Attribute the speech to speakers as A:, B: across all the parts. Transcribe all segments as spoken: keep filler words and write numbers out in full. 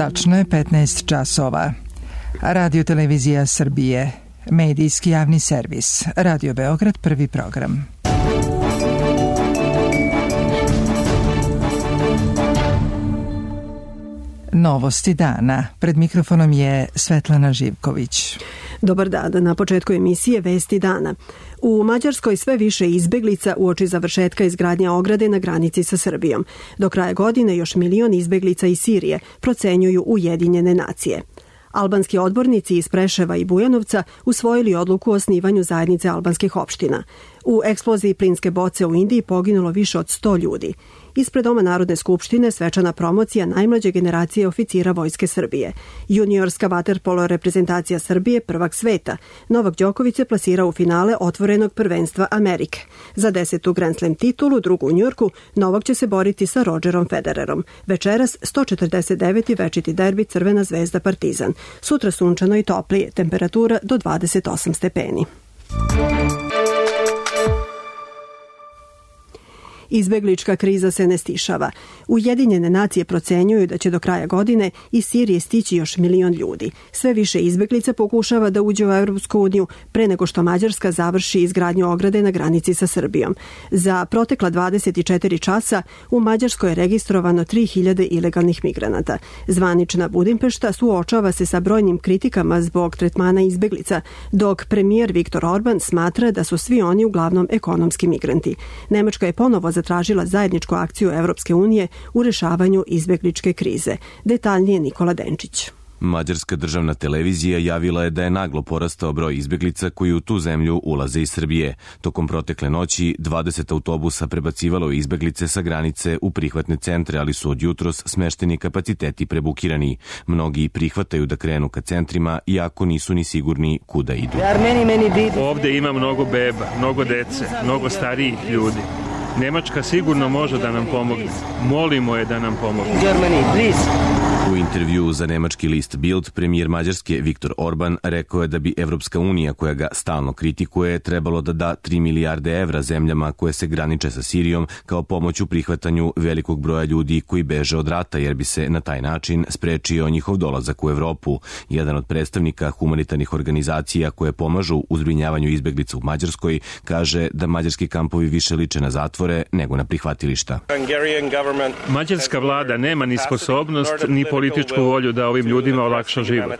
A: Tačno je petnaest časova. Radio Televizija Srbije, medijski javni servis, Radio Beograd, prvi program. Novosti dana. Pred mikrofonom je Svetlana Živković.
B: Dobar dan. Na početku emisije Vesti dana. U Mađarskoj sve više izbeglica uoči završetka izgradnje ograde na granici sa Srbijom. Do kraja godine još milion izbeglica iz Sirije, procenjuju Ujedinjene nacije. Albanski odbornici iz Preševa i Bujanovca usvojili odluku o osnivanju zajednice albanskih opština. U eksploziji plinske boce u Indiji poginulo više od sto ljudi. Ispred Doma Narodne skupštine svečana promocija najmlađe generacije oficira Vojske Srbije. Juniorska vaterpolo reprezentacija Srbije, prvak sveta. Novak Đoković se plasirao u finale otvorenog prvenstva Amerike. Za desetu Grand Slam titulu, drugu u Njujorku, Novak će se boriti sa Rodgerom Federerom. Večeras sto četrdeset deveti večiti derbi Crvena zvezda Partizan. Sutra sunčano i toplije, temperatura do dvadeset osam stepeni. Izbeglička kriza se ne stišava. Ujedinjene nacije procenjuju da će do kraja godine iz Sirije stići još milion ljudi. Sve više izbeglica pokušava da uđe u Europsku uniju pre nego što Mađarska završi izgradnju ograde na granici sa Srbijom. Za protekla dvadeset četiri časa u Mađarskoj je registrovano tri hiljade ilegalnih migranata. Zvanična Budimpešta suočava se sa brojnim kritikama zbog tretmana izbeglica, dok premijer Viktor Orban smatra da su svi oni uglavnom ekonomski migranti. Nemačka je ponovo zatražila zajedničku akciju Evropske unije u rešavanju izbegličke krize. Detaljnije Nikola Denčić.
C: Mađarska državna televizija javila je da je naglo porastao broj izbeglica koji u tu zemlju ulaze iz Srbije. Tokom protekle noći dvadeset autobusa prebacivalo izbeglice sa granice u prihvatne centre, ali su od jutros smešteni kapaciteti prebukirani. Mnogi prihvataju da krenu ka centrima, iako nisu ni sigurni kuda idu.
D: Ovde ima mnogo beba, mnogo dece, mnogo starijih ljudi. Nemačka sigurno može da nam pomogne. Molimo je da nam pomogne.
C: U intervjuu za nemački list Bild, premijer Mađarske Viktor Orban rekao je da bi Evropska unija, koja ga stalno kritikuje, trebalo da da tri milijarde evra zemljama koje se graniče sa Sirijom kao pomoć u prihvatanju velikog broja ljudi koji beže od rata, jer bi se na taj način sprečio njihov dolazak u Evropu. Jedan od predstavnika humanitarnih organizacija koje pomažu u zbrinjavanju izbeglica u Mađarskoj kaže da mađarski kampovi više liče na zatvore nego na prihvatilišta.
D: Mađarska vlada nema ni sposobnost ni političku volju da ovim ljudima olakša život.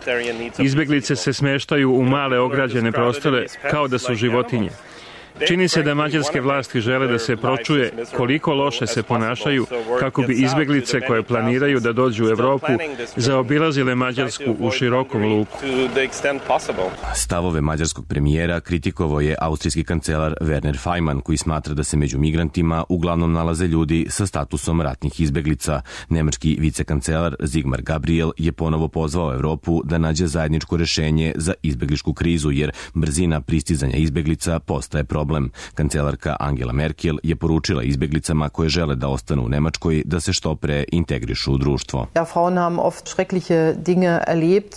D: Izbeglice se smeštaju u male ograđene prostore kao da su životinje. Čini se da mađarske vlasti žele da se pročuje koliko loše se ponašaju kako bi izbeglice koje planiraju da dođu u Evropu zaobilazile Mađarsku u širokom luku.
C: Stavove mađarskog premijera kritikovao je austrijski kancelar Werner Faymann, koji smatra da se među migrantima uglavnom nalaze ljudi sa statusom ratnih izbeglica. Nemački vicekancelar Sigmar Gabriel je ponovo pozvao Evropu da nađe zajedničko rešenje za izbegličku krizu, jer brzina pristizanja izbeglica postaje problem. Kancelarka Angela Merkel je poručila izbeglicama koje žele da ostanu u Nemačkoj da se što pre integrišu u društvo.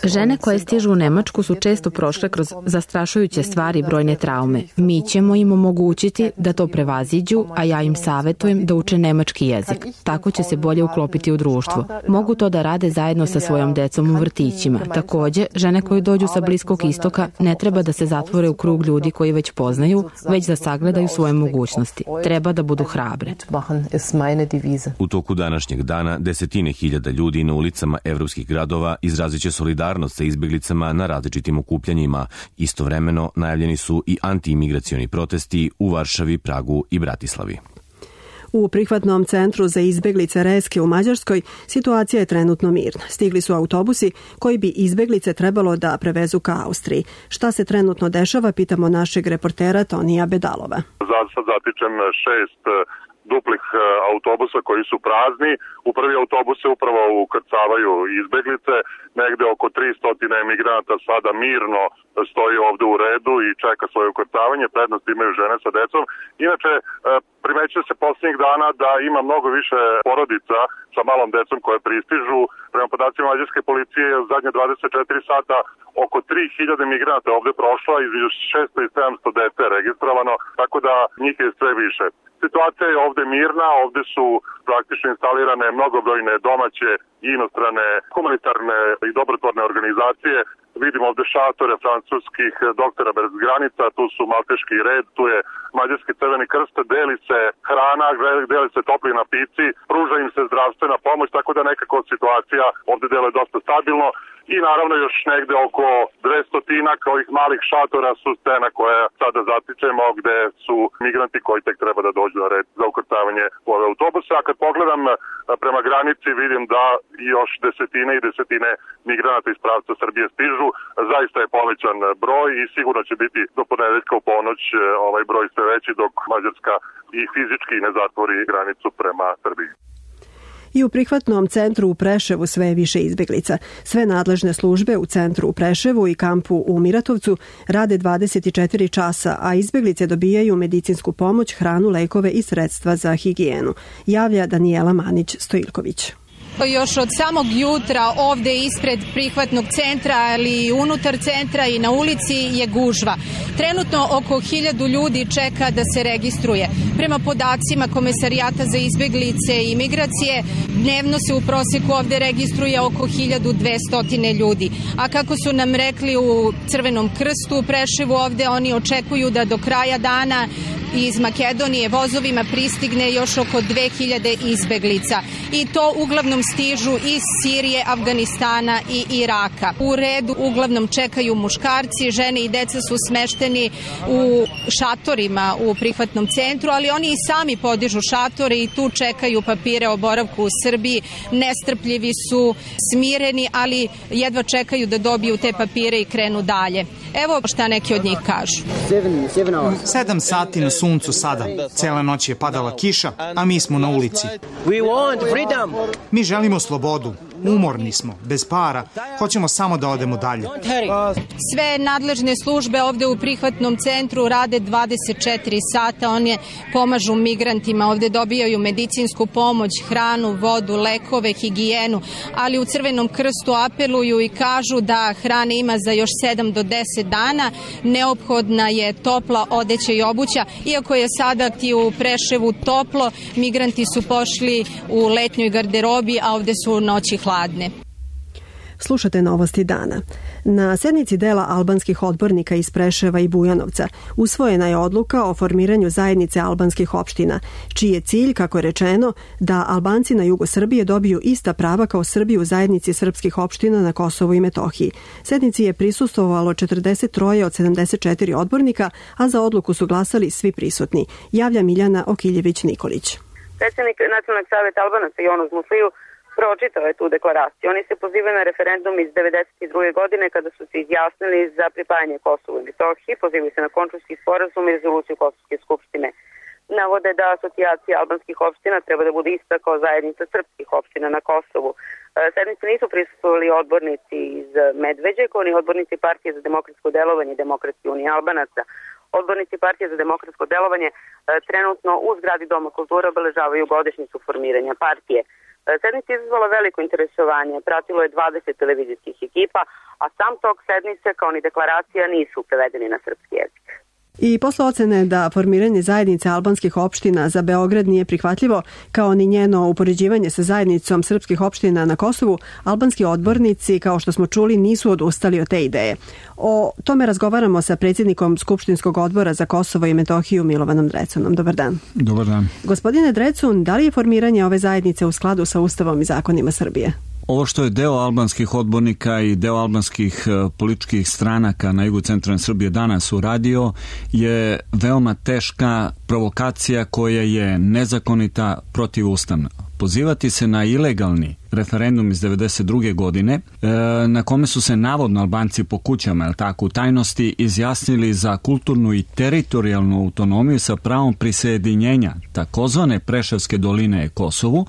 E: Žene koje stižu u Nemačku su često prošle kroz zastrašujuće stvari i brojne traume. Mi ćemo im omogućiti da to prevaziđu, a ja im savjetujem da uče nemački jezik. Tako će se bolje uklopiti u društvo. Mogu to da rade zajedno sa svojom decom u vrtićima. Takođe, žene koje dođu sa Bliskog istoka ne treba da se zatvore u krug ljudi koji već poznaju, već da sagledaju svoje mogućnosti. Treba da budu hrabre.
C: U toku današnjeg dana desetine hiljada ljudi na ulicama evropskih gradova izrazit će solidarnost sa izbeglicama na različitim okupljanjima. Istovremeno najavljeni su i antiimigracioni protesti u Varšavi, Pragu i Bratislavi.
B: U prihvatnom centru za izbeglice Reske u Mađarskoj situacija je trenutno mirna. Stigli su autobusi koji bi izbeglice trebalo da prevezu ka Austriji. Šta se trenutno dešava, pitamo našeg reportera Tonija Bedalova.
F: Sad zatičem šest duplih autobusa koji su prazni. U prvi autobus se upravo ukrcavaju izbeglice. Negde oko tristo emigranata sada mirno stoji ovde u redu i čeka svoje ukrcavanje. Prednost imaju žene sa decom. Inače, Primećuje se posljednjih dana da ima mnogo više porodica sa malom decom koje pristižu. Prema podacima mađarske policije u zadnje dvadeset četiri sata oko tri hiljade migranata ovde prošla, između šesto i sedamsto dece registrovano, tako da njih je sve više. Situacija je ovde mirna, ovde su praktično instalirane mnogobrojne domaće i inostrane humanitarne i dobrotvorne organizacije. Vidimo ovde šatore francuskih doktora bez granica, tu su Malteški red, tu je Mađarski crveni krst, deli se hrana, deli se topli napici, pruža im se zdravstvena pomoć, tako da nekako situacija ovde deluje dosta stabilno. I naravno još negde oko dvestotinak ovih malih šatora su scena koje sada zatičemo gde su migranti koji tek treba da dođu na red za ukrcavanje u ove autobuse. A kad pogledam prema granici vidim da još desetine i desetine migranata iz pravca Srbije stižu. Zaista je povećan broj i sigurno će biti do ponedeljka u ponoć ovaj broj sve veći dok Mađarska i fizički ne zatvori granicu prema Srbiji.
B: I u prihvatnom centru u Preševu sve je više izbeglica. Sve nadležne službe u centru u Preševu i kampu u Miratovcu rade dvadeset četiri časa, a izbeglice dobijaju medicinsku pomoć, hranu, lekove i sredstva za higijenu. Javlja Danijela Manić-Stojilković.
G: Još od samog jutra ovde ispred prihvatnog centra, ali i unutar centra i na ulici je gužva. Trenutno oko hiljadu ljudi čeka da se registruje. Prema podacima Komesarijata za izbeglice i migracije, dnevno se u proseku ovde registruje oko hiljadu dvesta ljudi. A kako su nam rekli u Crvenom krstu u Preševu, ovde oni očekuju da do kraja dana iz Makedonije vozovima pristigne još oko dve hiljade izbeglica. I to uglavnom stižu iz Sirije, Afganistana i Iraka. U redu uglavnom čekaju muškarci, žene i deca su smešteni u šatorima u prihvatnom centru, ali oni i sami podižu šatore i tu čekaju papire o boravku u Srbiji. Nestrpljivi su, smireni, ali jedva čekaju da dobiju te papire i krenu dalje. Evo šta neki od njih kažu.
H: Sedam sati na suncu sada. Cela noć je padala kiša, a mi smo na ulici. Mi želimo slobodu. Umorni smo, bez para, hoćemo samo da odemo dalje.
G: Sve nadležne službe ovde u prihvatnom centru rade dvadeset četiri sata, one pomažu migrantima, ovde dobijaju medicinsku pomoć, hranu, vodu, lekove, higijenu, ali u Crvenom krstu apeluju i kažu da hrane ima za još sedam do deset dana, neophodna je topla odeća i obuća, iako je sada ti u Preševu toplo, migranti su pošli u letnjoj garderobi, a ovde su noći hladne.
B: Slušate novosti dana. Na sednici dela albanskih odbornika iz Preševa i Bujanovca usvojena je odluka o formiranju zajednice albanskih opština, čiji je cilj, kako je rečeno, da Albanci na jugu Srbije dobiju ista prava kao Srbi u zajednici srpskih opština na Kosovu i Metohiji. Sednici je prisustvovalo četrdeset tri od sedamdeset četiri odbornika, a za odluku su glasali svi prisutni. Javlja Miljana Okiljević-Nikolić.
I: Predsjednik Nacionalnog savjeta Albanaca Jonuz Musliju pročitao je tu deklaraciju. Oni se pozivaju na referendum iz devedeset druge godine kada su se izjasnili za pripajanje Kosovu i Metohiji, pozivaju se na Končulski sporazum i rezoluciju Kosovske skupštine. Navode da asocijacija albanskih opština treba da bude ista kao zajednica srpskih opština na Kosovu. Sednicu nisu prisustvovali odbornici iz Medveđe, kao ni odbornici Partije za demokratsko delovanje i Demokratske unije Albanaca. Odbornici Partije za demokratsko delovanje trenutno u zgradi Doma kulture obeležavaju godišnjicu formiranja partije. Sednica je izazvala veliko interesovanje, pratilo je dvadeset televizijskih ekipa, a sam tok sednice kao ni deklaracija nisu prevedeni na srpski jezik.
B: I posle ocene da formiranje zajednice albanskih opština za Beograd nije prihvatljivo, kao ni njeno upoređivanje sa zajednicom srpskih opština na Kosovu, albanski odbornici, kao što smo čuli, nisu odustali od te ideje. O tome razgovaramo sa predsjednikom Skupštinskog odbora za Kosovo i Metohiju Milovanom Drecunom. Dobar dan.
J: Dobar dan.
B: Gospodine Drecun, da li je formiranje ove zajednice u skladu sa Ustavom i zakonima Srbije?
J: Ovo što je deo albanskih odbornika i deo albanskih političkih stranaka na jugu centralne Srbije danas uradio je veoma teška provokacija koja je nezakonita, protivustavna. Pozivati se na ilegalni referendum iz devedeset druge godine na kome su se navodno Albanci po kućama, jel tako, u tajnosti izjasnili za kulturnu i teritorijalnu autonomiju sa pravom prisjedinjenja takozvane Preševske doline Kosovu,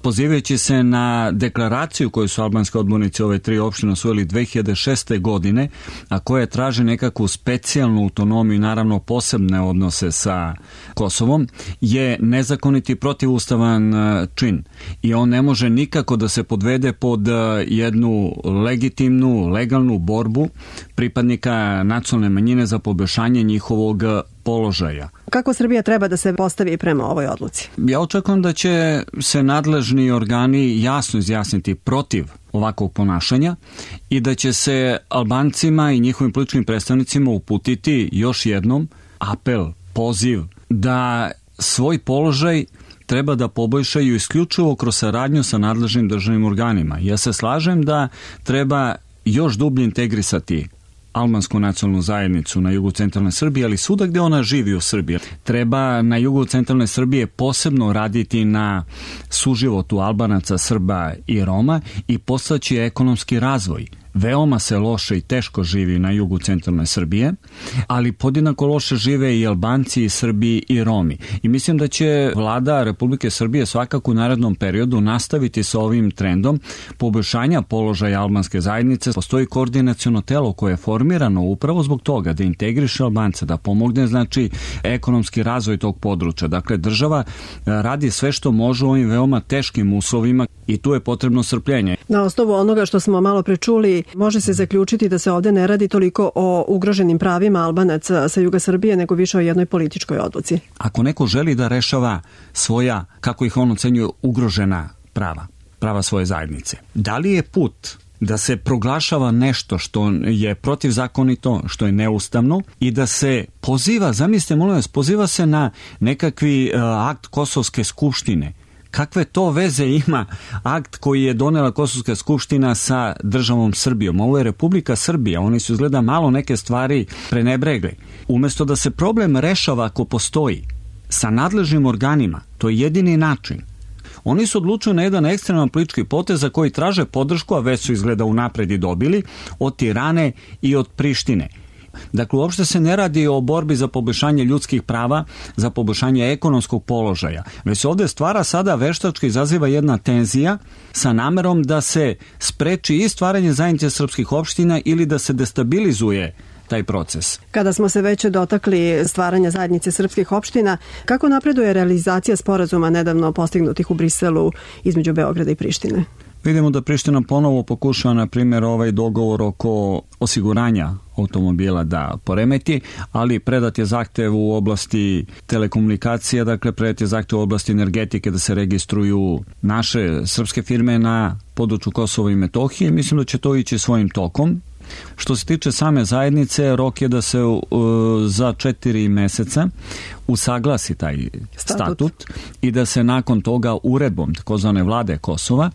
J: pozivajući se na deklaraciju koju su albanski odbornici ove tri opštine usvojili dve hiljade šeste. godine, a koja traži nekakvu specijalnu autonomiju i naravno posebne odnose sa Kosovom, je nezakoniti protivustavan čin i on ne može nikako da se podvede pod jednu legitimnu, legalnu borbu pripadnika nacionalne manjine za poboljšanje njihovog položaja.
B: Kako Srbija treba da se postavi prema ovoj odluci?
J: Ja očekujem da će se nadležni organi jasno izjasniti protiv ovakvog ponašanja i da će se Albancima i njihovim političkim predstavnicima uputiti još jednom apel, poziv da svoj položaj treba da poboljšaju isključivo kroz saradnju sa nadležnim državnim organima. Ja se slažem da treba još dublje integrisati albansku nacionalnu zajednicu na jugu centralne Srbije, ali svuda gde ona živi u Srbiji. Treba na jugu centralne Srbije posebno raditi na suživotu Albanaca, Srba i Roma i postaći ekonomski razvoj. Veoma se loše i teško živi na jugu centralne Srbije, ali podjednako loše žive i Albanci, i Srbi, i Romi. I mislim da će vlada Republike Srbije svakako u narednom periodu nastaviti sa ovim trendom poboljšanja položaja albanske zajednice. Postoji koordinaciono telo koje je formirano upravo zbog toga da integriše Albance, da pomogne znači ekonomski razvoj tog područja. Dakle, država radi sve što može u ovim veoma teškim uslovima i tu je potrebno strpljenje.
B: Na osnovu onoga što smo malo prečuli, može se zaključiti da se ovde ne radi toliko o ugroženim pravima Albanaca sa juga Srbije, nego više o jednoj političkoj odluci.
J: Ako neko želi da rešava svoja, kako ih on ocenjuje, ugrožena prava, prava svoje zajednice, da li je put da se proglašava nešto što je protivzakonito, što je neustavno i da se poziva, zamislite, molim vas, poziva se na nekakvi uh, akt Kosovske skupštine. Kakve to veze ima akt koji je donela Kosovska skupština sa državom Srbijom? Ovo je Republika Srbija, oni su izgleda malo neke stvari prenebregli. Umesto da se problem rešava ako postoji sa nadležnim organima, to je jedini način. Oni su odlučili na jedan ekstreman politički potez za koji traže podršku, a već su izgleda unapred i dobili, od Tirane i od Prištine. Dakle, uopšte se ne radi o borbi za poboljšanje ljudskih prava, za poboljšanje ekonomskog položaja, već se ovde stvara sada veštački izaziva jedna tenzija sa namerom da se spreči i stvaranje zajednice srpskih opština ili da se destabilizuje taj proces.
B: Kada smo se već dotakli stvaranja zajednice srpskih opština, kako napreduje realizacija sporazuma nedavno postignutih u Briselu između Beograda i Prištine?
J: Vidimo da Priština ponovo pokušava, na primjer, ovaj dogovor oko osiguranja automobila da poremeti, ali predat je zahtev u oblasti telekomunikacija, dakle predat je zahtev u oblasti energetike da se registruju naše srpske firme na području Kosova i Metohije. Mislim da će to ići svojim tokom. Što se tiče same zajednice, rok je da se uh, za četiri meseca usaglasi taj statut. statut i da se nakon toga uredbom takozvane vlade Kosova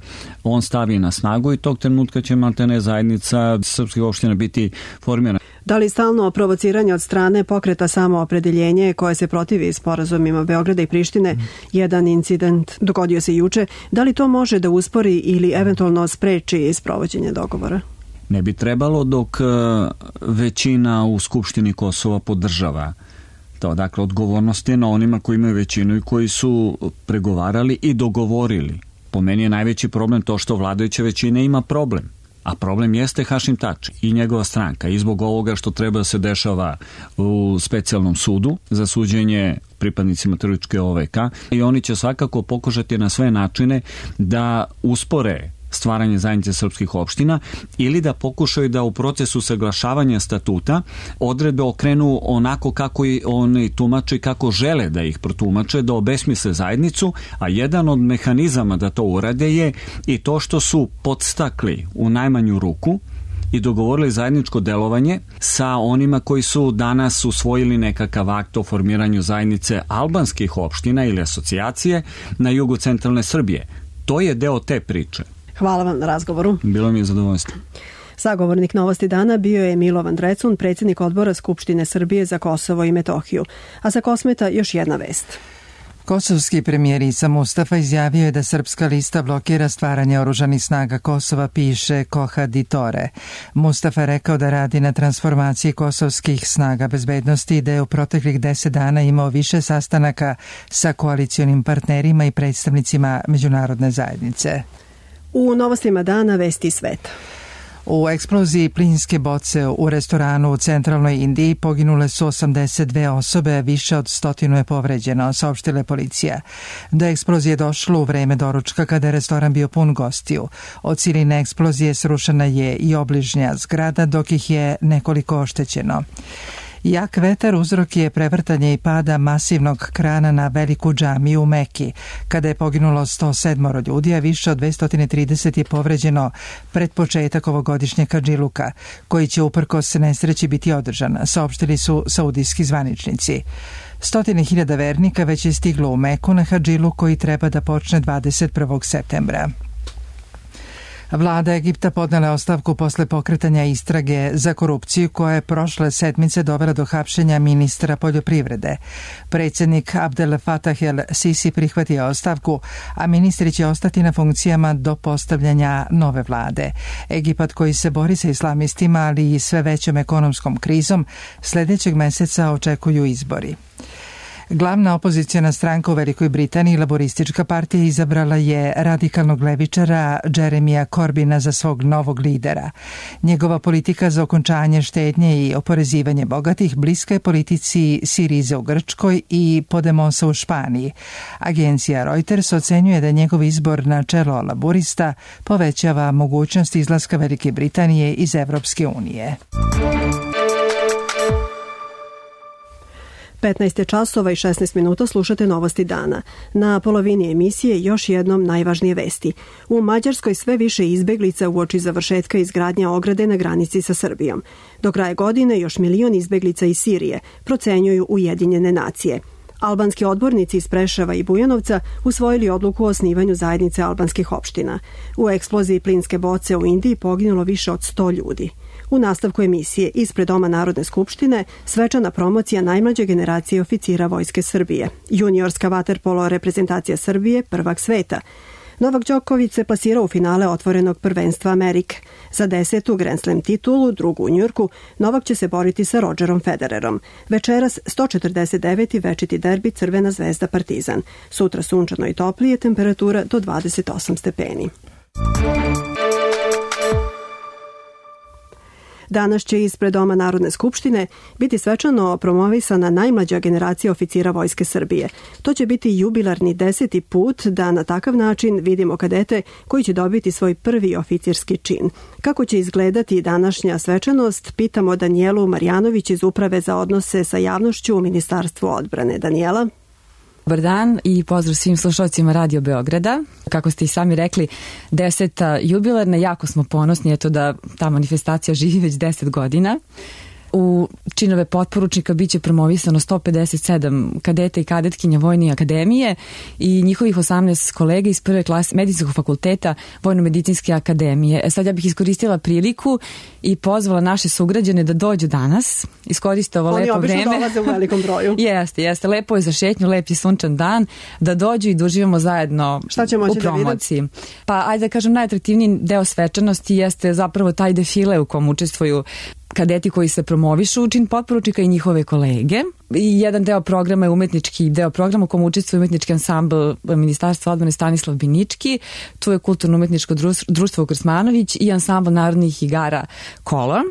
J: on stavi na snagu i tog trenutka će maltene zajednica srpskih opština biti formirana.
B: Da li stalno provociranje od strane pokreta Samoopredeljenje koje se protivi sporazumima Beograda i Prištine, mm. jedan incident dogodio se juče, da li to može da uspori ili eventualno spreči sprovođenje dogovora?
J: Ne bi trebalo dok većina u Skupštini Kosova podržava to. Dakle, odgovornost je na onima koji imaju većinu i koji su pregovarali i dogovorili. Po meni je najveći problem to što vladajuća većina ima problem. A problem jeste Hašim Tači i njegova stranka i zbog ovoga što treba da se dešava u specijalnom sudu za suđenje pripadnicima terorističke O V K i oni će svakako pokušati na sve načine da uspore stvaranje zajednice srpskih opština ili da pokušaju da u procesu saglašavanja statuta odredbe okrenu onako kako i oni tumače, kako žele da ih protumače, da obesmisle zajednicu, a jedan od mehanizama da to urade je i to što su podstakli u najmanju ruku i dogovorili zajedničko delovanje sa onima koji su danas usvojili nekakav akt o formiranju zajednice albanskih opština ili asocijacije na jugu centralne Srbije. To je deo te priče.
B: Hvala vam na razgovoru.
J: Bilo mi je zadovoljstvo.
B: Sagovornik Novosti dana bio je Milovan Drecun, predsjednik odbora Skupštine Srbije za Kosovo i Metohiju. A sa Kosmeta još jedna vest.
A: Kosovski premijer Isa Mustafa izjavio je da srpska lista blokira stvaranje oružanih snaga Kosova, piše Koha Ditore. Mustafa je rekao da radi na transformaciji kosovskih snaga bezbednosti i da je u proteklih deset dana imao više sastanaka sa koalicionim partnerima i predstavnicima međunarodne zajednice.
B: U novostima dana vesti sveta.
A: U eksploziji plinske boce u restoranu u centralnoj Indiji poginule su osamdeset dve osobe, više od stotinu je povređeno, saopštila je policija. Do eksplozije došlo u vreme doručka kada je restoran bio pun gostiju. Od siline eksplozije srušena je i obližnja zgrada, dok ih je nekoliko oštećeno. Jak vetar uzrok je prevrtanje i pada masivnog krana na veliku džamiju u Meki, kada je poginulo sto sedam ljudi, a više od dvesta trideset je povređeno pred početak ovogodišnjeg Hadžiluka, koji će uprkos nesreći biti održan, saopštili su saudijski zvaničnici. Stotine hiljada vernika već je stiglo u Meku na Hadžilu koji treba da počne dvadeset prvog septembra. Vlada Egipta podnela ostavku posle pokretanja istrage za korupciju koja je prošle sedmice dovela do hapšenja ministra poljoprivrede. Predsjednik Abdel Fattah el-Sisi prihvatio ostavku, a ministri će ostati na funkcijama do postavljanja nove vlade. Egipat koji se bori sa islamistima, ali i sve većom ekonomskom krizom, sljedećeg meseca očekuju izbori. Glavna opozicijona stranka u Velikoj Britaniji, Laboristička partija, izabrala je radikalnog levičara Jeremija Corbina za svog novog lidera. Njegova politika za okončanje štednje i oporezivanje bogatih bliska je politici Sirize u Grčkoj i Podemosa u Španiji. Agencija Reuters ocenjuje da njegov izbor na čelo laborista povećava mogućnost izlaska Velike Britanije iz Evropske unije.
B: petnaest časova i šesnaest minuta slušate novosti dana. Na polovini emisije još jednom najvažnije vesti. U Mađarskoj sve više izbeglica uoči završetka izgradnje ograde na granici sa Srbijom. Do kraja godine još milion izbeglica iz Sirije, procenjuju Ujedinjene nacije. Albanski odbornici iz Preševa i Bujanovca usvojili odluku o osnivanju zajednice albanskih opština. U eksploziji plinske boce u Indiji poginulo više od sto ljudi. U nastavku emisije ispred Doma Narodne skupštine svečana promocija najmlađe generacije oficira Vojske Srbije. Juniorska vaterpolo reprezentacija Srbije, prvak sveta. Novak Đoković se plasirao u finale otvorenog prvenstva Amerike. Za desetu Grand Slam titulu, drugu u Njujorku, Novak će se boriti sa Rodgerom Federerom. Večeras sto četrdeset deveti večiti derbi Crvena zvezda Partizan. Sutra sunčano i toplije, temperatura do dvadeset osam stepeni. Danas će ispred Doma Narodne skupštine biti svečano promovisana najmlađa generacija oficira Vojske Srbije. To će biti jubilarni deseti put da na takav način vidimo kadete koji će dobiti svoj prvi oficirski čin. Kako će izgledati današnja svečanost, pitamo Danijelu Marjanović iz Uprave za odnose sa javnošću u Ministarstvu odbrane. Danijela?
K: Dobar dan i pozdrav svim slušalcima Radio Beograda. Kako ste i sami rekli, deseta jubilarna, jako smo ponosni eto da ta manifestacija živi već deset godina. U činove potporučnika biće promovisano sto pedeset sedam kadeta i kadetkinja Vojne akademije i njihovih osamnaest kolega iz prve klase Medicinskog fakulteta Vojno-medicinske akademije. E sad ja bih iskoristila priliku i pozvala naše sugrađane da dođu danas, iskoriste ovo
B: Oni
K: lepo vreme.
B: Oni obično dolaze u velikom broju.
K: Jeste, jeste. Lepo je za šetnju, lep je sunčan dan, da dođu i da uživamo zajedno u promociji. Da pa ajde da kažem, najatraktivniji deo svečanosti jeste zapravo taj defile u kom učestvuju kadeti koji se promovišu u čin potporučnika i njihove kolege. I jedan deo programa je umetnički deo programa u kom učestvuje umetnički ansambl Ministarstva odbrane Stanislav Binički, tu je kulturno-umetničko društvo Krsmanović i ansambl narodnih igara Kola.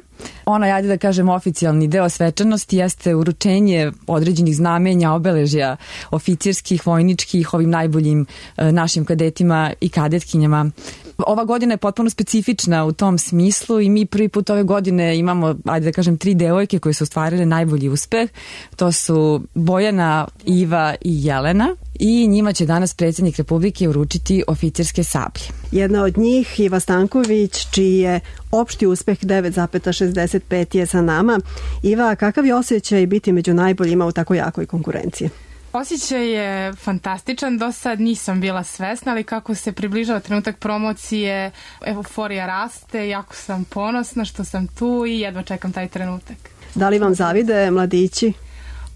K: Ono, ajde da kažem, oficijalni deo svečanosti jeste uručenje određenih znamenja, obeležja oficirskih, vojničkih, ovim najboljim e, našim kadetima i kadetkinjama. Ova godina je potpuno specifična u tom smislu i mi prvi put ove godine imamo, ajde da kažem, tri devojke koje su ostvarile najbolji uspeh. To su Bojana, Iva i Jelena i njima će danas predsjednik Republike uručiti oficirske sablje.
B: Jedna od njih, Iva Stanković, čiji je opšti uspeh devet zarez šezdeset pet je sa nama. Iva, kakav je osjećaj biti među najboljima u tako jakoj konkurenciji?
L: Osjećaj je fantastičan, do sad nisam bila svesna, ali kako se približava trenutak promocije, euforija raste, jako sam ponosna što sam tu i jedva čekam taj trenutak.
B: Da li vam zavide mladići?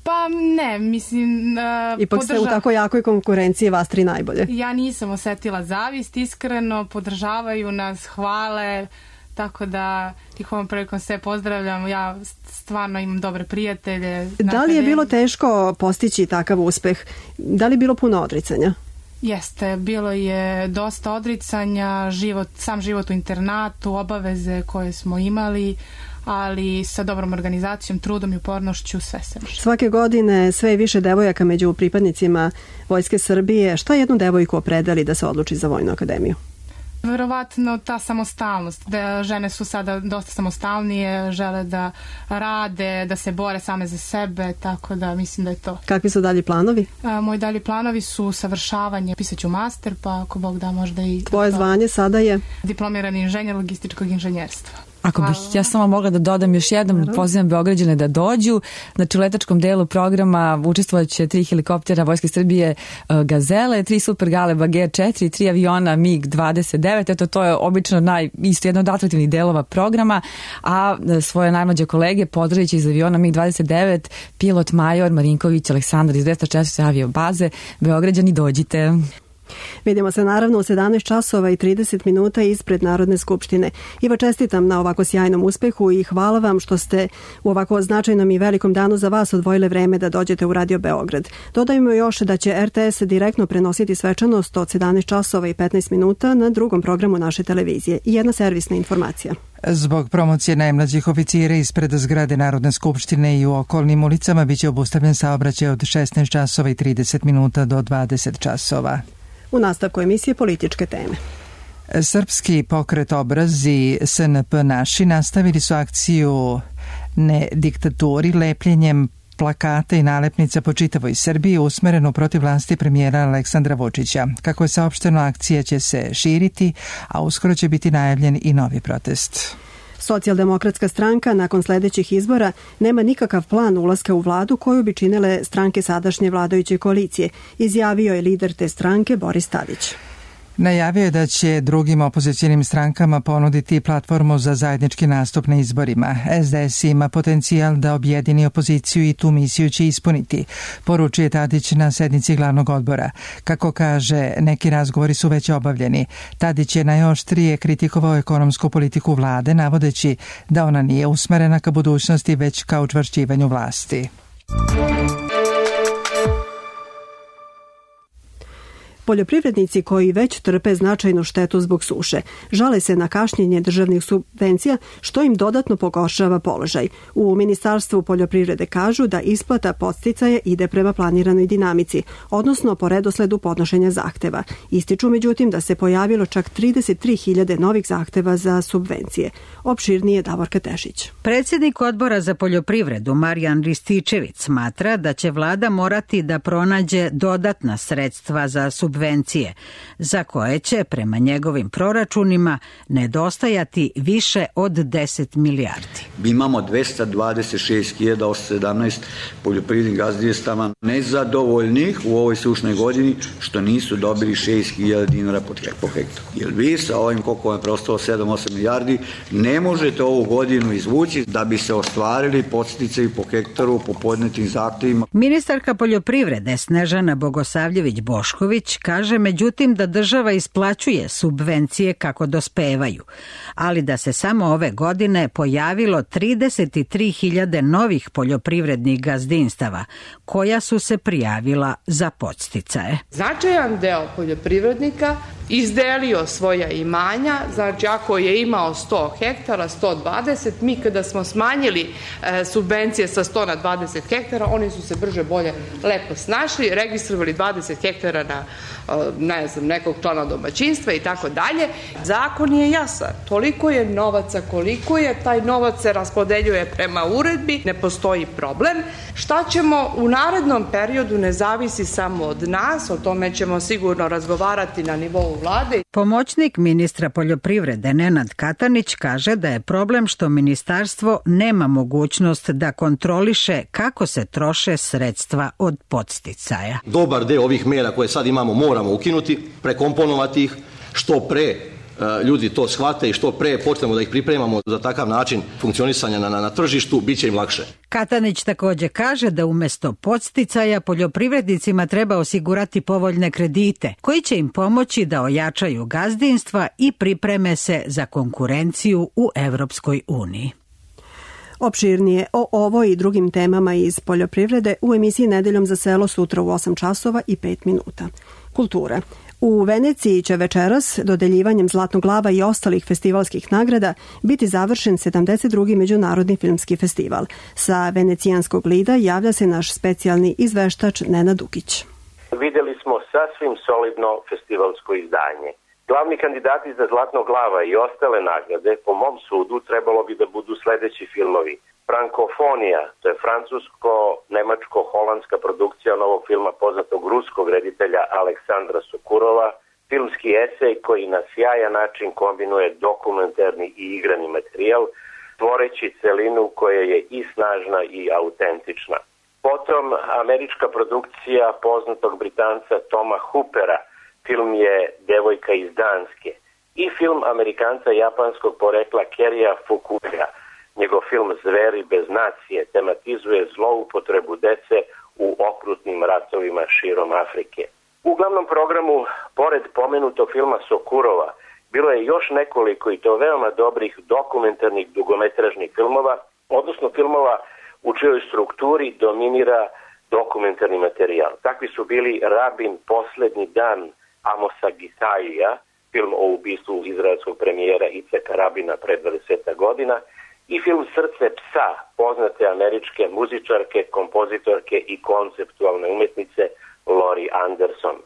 L: Pa ne, mislim... Uh,
B: Ipak
L: podrža...
B: ste u tako jakoj konkurenciji vas tri najbolje.
L: Ja nisam osetila zavist, iskreno, podržavaju nas, hvale, tako da ih ovom prilikom sve pozdravljam. Ja stvarno imam dobre prijatelje.
B: Da li je bilo teško postići takav uspeh? Da li je bilo puno odricanja?
L: Jeste, bilo je dosta odricanja, život, sam život u internatu, obaveze koje smo imali, ali sa dobrom organizacijom, trudom i upornošću sve se može.
B: Svake godine sve je više devojaka među pripadnicima Vojske Srbije. Šta jednu devojku opredeli da se odluči za Vojnu akademiju?
L: Verovatno ta samostalnost, da žene su sada dosta samostalnije, žele da rade, da se bore same za sebe, tako da mislim da je to.
B: Kakvi su dalji planovi?
L: A, moji dalji planovi su savršavanje, pisaću master, pa ako Bog da možda i...
B: Tvoje zvanje sada je?
L: Diplomirani inženjer logističkog inženjerstva.
K: Ako bih ja samo mogla da dodam još jednom, pozivam Beograđane da dođu. Znači u letačkom delu programa učestvovaće tri helikoptera Vojske Srbije Gazele, tri Super Galeba G četiri, tri aviona mig dvadeset devet. Eto, to je obično naj, isto jedno od atraktivnih delova programa, a svoje najmlađe kolege pozdravit će iz aviona mig dvadeset devet pilot major Marinković Aleksandar iz dvesta četiri aviobaze. Beograđani, dođite.
B: Vidimo se naravno u sedamnaest časova i trideset minuta ispred Narodne skupštine. Iva, čestitam na ovako sjajnom uspehu i hvala vam što ste u ovako značajnom i velikom danu za vas odvojile vreme da dođete u Radio Beograd. Dodajmo još da će R T S direktno prenositi svečanost od sedamnaest časova i petnaest minuta na drugom programu naše televizije. I jedna servisna informacija.
A: Zbog promocije najmlađih oficira ispred zgrade Narodne skupštine i u okolnim ulicama biće obustavljen saobraćaj od šesnaest časova i trideset minuta do dvadeset časova.
B: U nastavku emisije političke teme.
A: Srpski pokret Obraz i S N P Naši nastavili su akciju Ne diktaturi lepljenjem plakata i nalepnica po čitavoj Srbiji usmerenu protiv vlasti premijera Aleksandra Vučića. Kako je saopšteno, akcija će se širiti, a uskoro će biti najavljen i novi protest.
B: Socijaldemokratska stranka nakon sljedećih izbora nema nikakav plan ulaska u vladu koju bi činile stranke sadašnje vladajuće koalicije, izjavio je lider te stranke Boris Tadić.
A: Najavio je da će drugim opozicijalnim strankama ponuditi platformu za zajednički nastup na izborima. S D S ima potencijal da objedini opoziciju i tu misiju će ispuniti, poručuje Tadić na sednici glavnog odbora. Kako kaže, neki razgovori su već obavljeni. Tadić je najoštrije kritikovao ekonomsku politiku vlade, navodeći da ona nije usmerena ka budućnosti, već ka učvršćivanju vlasti.
B: Poljoprivrednici koji već trpe značajnu štetu zbog suše žale se na kašnjenje državnih subvencija, što im dodatno pogoršava položaj. U Ministarstvu poljoprivrede kažu da isplata podsticaja ide prema planiranoj dinamici, odnosno po redosledu podnošenja zahteva. Ističu međutim da se pojavilo čak trideset tri hiljade novih zahteva za subvencije. Opširnije Davorka Tešić.
M: Predsjednik Odbora za poljoprivredu Marijan Rističević smatra da će vlada morati da pronađe dodatna sredstva za subvencije, za koje će, prema njegovim proračunima, nedostajati više od deset milijardi.
N: Mi imamo dvesta dvadeset šest hiljada osamsto sedamnaest poljoprivrednih gazdinstava nezadovoljnih u ovoj sušnoj godini što nisu dobili šest hiljada dinara po hektaru. Jer vi sa ovim koliko je preostalo sedam do osam milijardi ne možete ovu godinu izvući da bi se ostvarili podsticaji po hektaru po podnetim zahtevima.
M: Ministarka poljoprivrede Snežana Bogosavljević-Bošković kaže međutim da država isplaćuje subvencije kako dospevaju, ali da se samo ove godine pojavilo trideset tri hiljade novih poljoprivrednih gazdinstava koja su se prijavila za podsticaje.
O: Značajan deo poljoprivrednika izdelio svoja imanja, znači ako je imao sto hektara, sto dvadeset, mi kada smo smanjili e, subvencije sa sto na dvadeset hektara, oni su se brže bolje lepo snašli, registrovali dvadeset hektara na ne znam, nekog člana domaćinstva i tako dalje. Zakon je jasan, toliko je novaca, koliko je, taj novac se raspodeljuje prema uredbi, ne postoji problem. Šta ćemo u narednom periodu ne zavisi samo od nas, o tome ćemo sigurno razgovarati na nivou vlade.
M: Pomoćnik ministra poljoprivrede Nenad Katanić kaže da je problem što ministarstvo nema mogućnost da kontroliše kako se troše sredstva od podsticaja.
P: Dobar deo ovih mera koje sad imamo moramo ukinuti, prekomponovati ih, što pre ljudi to shvate i što pre počnemo da ih pripremamo za takav način funkcionisanja na, na, na tržištu, bit će im lakše.
M: Katanić također kaže da umjesto podsticaja poljoprivrednicima treba osigurati povoljne kredite koji će im pomoći da ojačaju gazdinstva i pripreme se za konkurenciju u Evropskoj uniji.
B: Opširnije o ovoj i drugim temama iz poljoprivrede u emisiji Nedeljom za selo sutra u osam časova i pet minuta. Kultura. U Veneciji će večeras, dodeljivanjem Zlatnog glava i ostalih festivalskih nagrada, biti završen sedamdeset drugi Međunarodni filmski festival. Sa venecijanskog lida javlja se naš specijalni izveštač Nenad Dukić.
Q: Vidjeli smo sasvim solidno festivalsko izdanje. Glavni kandidati za Zlatnog glava i ostale nagrade, po mom sudu, trebalo bi da budu sledeći filmovi. Frankofonija, to je francusko-nemačko-holandska produkcija novog filma poznatog ruskog reditelja Aleksandra Sokurova, filmski esej koji na sjajan način kombinuje dokumentarni i igrani materijal, tvoreći celinu koja je i snažna i autentična. Potom američka produkcija poznatog Britanca Toma Hoopera, film je Devojka iz Danske, i film Amerikanca japanskog porekla Kerija Fukuya. Njegov film Zveri bez nacije tematizuje zloupotrebu dece u okrutnim ratovima širom Afrike. U glavnom programu, pored pomenutog filma Sokurova, bilo je još nekoliko i to veoma dobrih dokumentarnih dugometražnih filmova, odnosno filmova u čijoj strukturi dominira dokumentarni materijal. Takvi su bili Rabin Poslednji dan Amosa Gisaija, film o ubistvu izraelskog premijera Iceka Rabina pre dvadeset godina, i film Srce psa, poznate američke muzičarke, kompozitorke i konceptualne umetnice Laurie Anderson.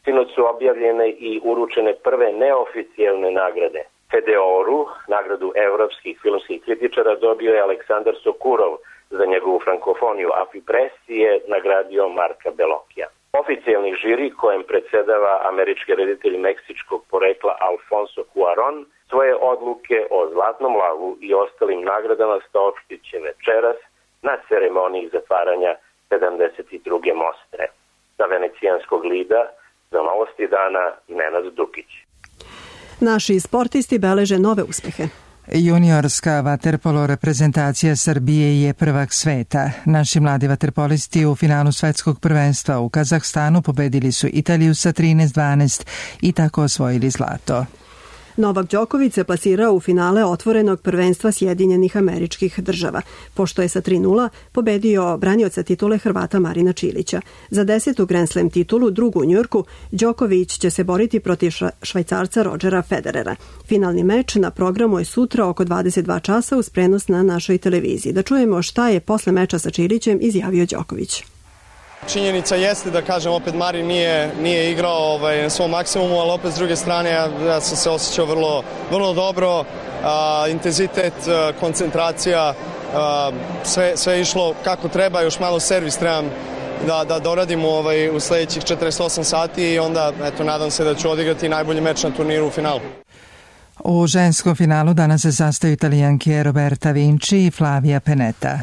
Q: Sinoć su objavljene i uručene prve neoficijelne nagrade. Fedeoru, nagradu evropskih filmskih kritičara, dobio je Aleksandar Sokurov za njegovu frankofoniju, a Fipressi je nagradio Marka Belokija. Oficijalni žiri, kojem predsedava američki reditelj meksičkog porekla Alfonso Cuarón, svoje odluke o Zlatnom lavu i ostalim nagradama saopštit će večeras na ceremoniji zatvaranja sedamdeset druge Mostre. Sa venecijanskog lida za Novosti dana Nenad Dukić.
B: Naši sportisti beleže nove uspehe.
A: Juniorska vaterpolo reprezentacija Srbije je prvak sveta. Naši mladi vaterpolisti u finalu svetskog prvenstva u Kazahstanu pobedili su Italiju sa trinaest dvanaest i tako osvojili zlato.
B: Novak Đoković se plasirao u finale otvorenog prvenstva Sjedinjenih Američkih Država, pošto je sa tri nula pobedio branioca titule Hrvata Marina Čilića. Za desetu Grand Slam titulu, drugu u Njujorku, Đoković će se boriti protiv Švajcarca Rodgera Federera. Finalni meč na programu je sutra oko dvadeset dva časa uz prenos na našoj televiziji. Da čujemo šta je posle meča sa Čilićem izjavio Đoković.
R: Činjenica jeste da, kažem, opet Marin nije, nije igrao ovaj, na svom maksimumu, ali opet s druge strane ja, ja sam se osjećao vrlo, vrlo dobro, a, intenzitet, a, koncentracija, a, sve, sve išlo kako treba, još malo servis trebam da, da doradimo ovaj, u sledećih četrdeset osam sati i onda, eto, nadam se da ću odigrati najbolji meč na turniru u finalu.
A: U ženskom finalu danas se sastaju Italijanke Roberta Vinci i Flavia Pennetta.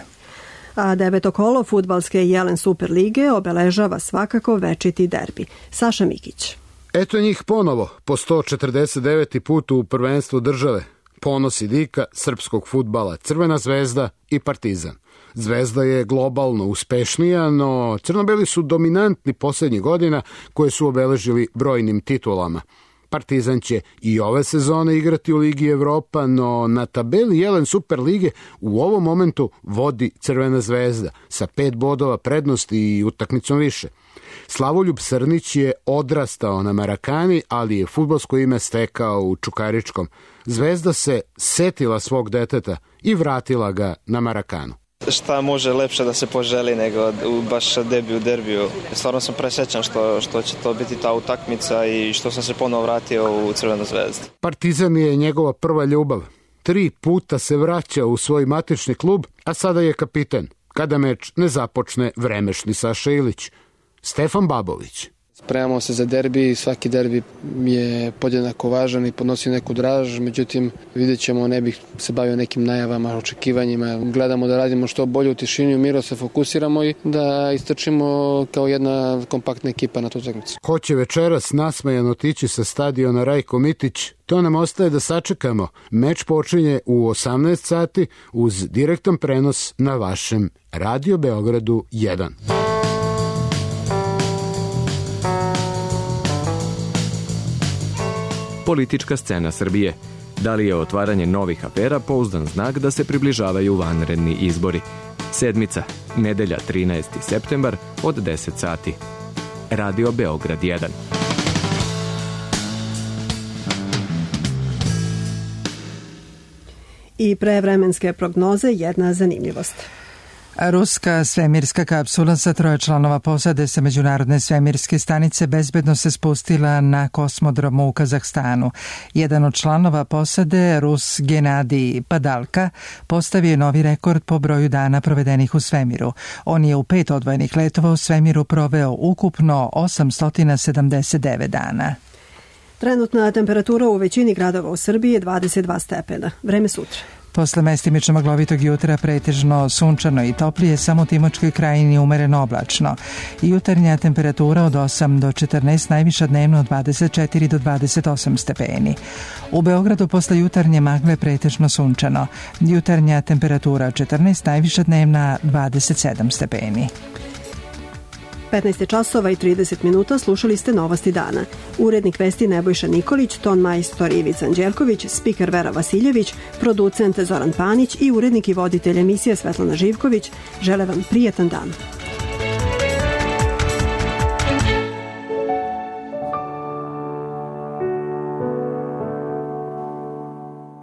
B: A deveto kolo fudbalske Jelen Super lige obeležava svakako večiti derbi. Saša Mikić.
S: Eto njih ponovo, po sto četrdeset deveti put u prvenstvu države. Ponos i dika srpskog fudbala, Crvena zvezda i Partizan. Zvezda je globalno uspešnija, no crno-beli su dominantni posljednjih godina koje su obeležili brojnim titulama. Partizan će i ove sezone igrati u Ligi Evropa, no na tabeli Jelen Super lige u ovom momentu vodi Crvena zvezda sa pet bodova prednosti i utakmicom više. Slavoljub Srnić je odrastao na Marakani, ali je fudbalsko ime stekao u Čukaričkom. Zvezda se setila svog deteta i vratila ga na Marakanu.
T: Šta može lepše da se poželi nego u baš debiju, derbiju. Stvarno sam presrećan što, što će to biti ta utakmica i što sam se ponovo vratio u Crvenu zvezdu.
S: Partizan je njegova prva ljubav. Tri puta se vraća u svoj matični klub, a sada je kapiten. Kada meč ne započne vremešni Saša Ilić. Stefan Babović.
U: Spremamo se za derbi i svaki derbi je podjednako važan i podnosi neku draž, međutim vidjet ćemo, ne bih se bavio nekim najavama, očekivanjima. Gledamo da radimo što bolje u tišini, u miru se fokusiramo i da istrčimo kao jedna kompaktna ekipa na tu utakmicu.
S: Ko će večeras nasmejan otići sa stadiona Rajko Mitić, to nam ostaje da sačekamo. Meč počinje u osamnaest sati uz direktan prenos na vašem Radio Beogradu jedan.
V: Politička scena Srbije. Da li je otvaranje novih afera pouzdan znak da se približavaju vanredni izbori? Sedmica, nedelja trinaesti septembar od deset sati. Radio Beograd jedan.
B: I pre vremenske prognoze jedna zanimljivost.
A: Ruska svemirska kapsula sa troje članova posade sa Međunarodne svemirske stanice bezbedno se spustila na kosmodromu u Kazahstanu. Jedan od članova posade, Rus Genadij Padalka, postavio je novi rekord po broju dana provedenih u svemiru. On je u pet odvojenih letova u svemiru proveo ukupno osamsto sedamdeset devet dana.
B: Trenutna temperatura u većini gradova u Srbiji je dvadeset dva stepena. Vreme sutra.
A: Posle mestimično maglovitog jutra pretežno sunčano i toplije, samo u Timočkoj krajini umereno oblačno. Jutarnja temperatura od osam do četrnaest, najviša dnevno od dvadeset četiri do dvadeset osam stepeni. U Beogradu posle jutarnje magle pretežno sunčano. Jutarnja temperatura četrnaest, najviša dnevna dvadeset sedam stepeni.
B: petnaest časova i trideset minuta, slušali ste Novosti dana. Urednik vesti Nebojša Nikolić, ton majstor Ivica Anđelković, spiker Vera Vasiljević, producent Zoran Panić i urednik i voditelj emisije Svetlana Živković žele vam prijetan dan.